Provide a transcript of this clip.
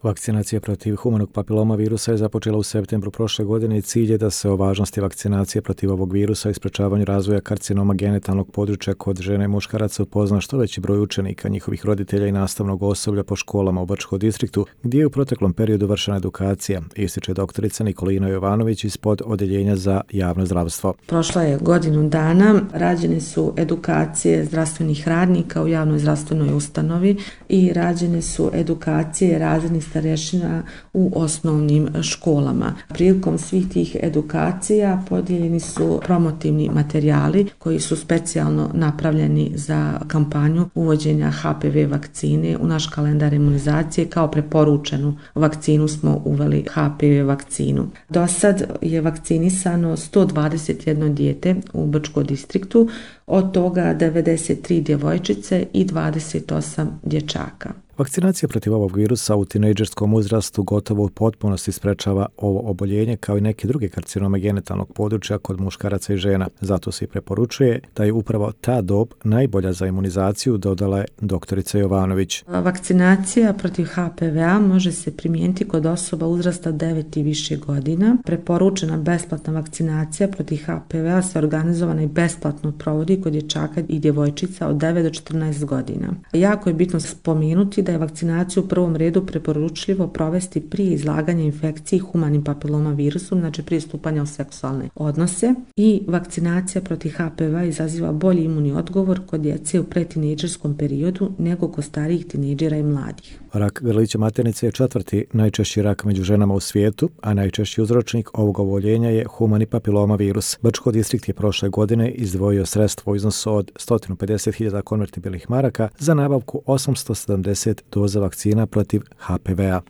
Vakcinacija protiv humanog papiloma virusa je započela u septembru prošle godine i cilj je da se o važnosti vakcinacije protiv ovog virusa i sprečavanju razvoja karcinoma genitalnog područja kod žene i muškaraca upozna što veći broj učenika, njihovih roditelja i nastavnog osoblja po školama u Bačkom distriktu, gdje je u proteklom periodu vršena edukacija, ističe doktorica Nikolina Jovanović iz Odeljenja za javno zdravstvo. Prošla je godinu dana, rađene su edukacije zdravstvenih radnika u javnoj zdravstvenoj ustanovi i rađene su edukacije razrednih starešina u osnovnim školama. Prilikom svih tih edukacija podijeljeni su promotivni materijali koji su specijalno napravljeni za kampanju uvođenja HPV vakcine u naš kalendar imunizacije. Kao preporučenu vakcinu smo uveli HPV vakcinu. Do sad je vakcinisano 121 dijete u Bačkom distriktu, od toga 93 djevojčice i 28 dječaka. Vakcinacija protiv ovog virusa u tinejdžerskom uzrastu gotovo u potpunosti sprečava ovo oboljenje kao i neke druge karcinome genitalnog područja kod muškaraca i žena. Zato se i preporučuje da je upravo ta dob najbolja za imunizaciju, dodala je doktorica Jovanović. Vakcinacija protiv HPV-a može se primijeniti kod osoba uzrasta 9 i više godina. Preporučena besplatna vakcinacija protiv HPV-a se organizovana i besplatno provodi kod dječaka i djevojčica od 9 do 14 godina. Jako je bitno spomenuti da je vakcinaciju u prvom redu preporučljivo provesti prije izlaganja infekciji humanim papiloma virusom, znači prije stupanja u seksualne odnose, i vakcinacija protiv HPV-a izaziva bolji imunni odgovor kod djece u pretinejdžerskom periodu nego kod starijih tinejdžera i mladih. Rak grlića maternice je 4. najčešći rak među ženama u svijetu, a najčešći uzročnik ovog oboljenja je humani papiloma virus. Bački distrikt je prošle godine izdvojio sredstvo u iznosu od 150.000 konvertibilnih maraka za nabavku 870 doza vakcina protiv HPV-a.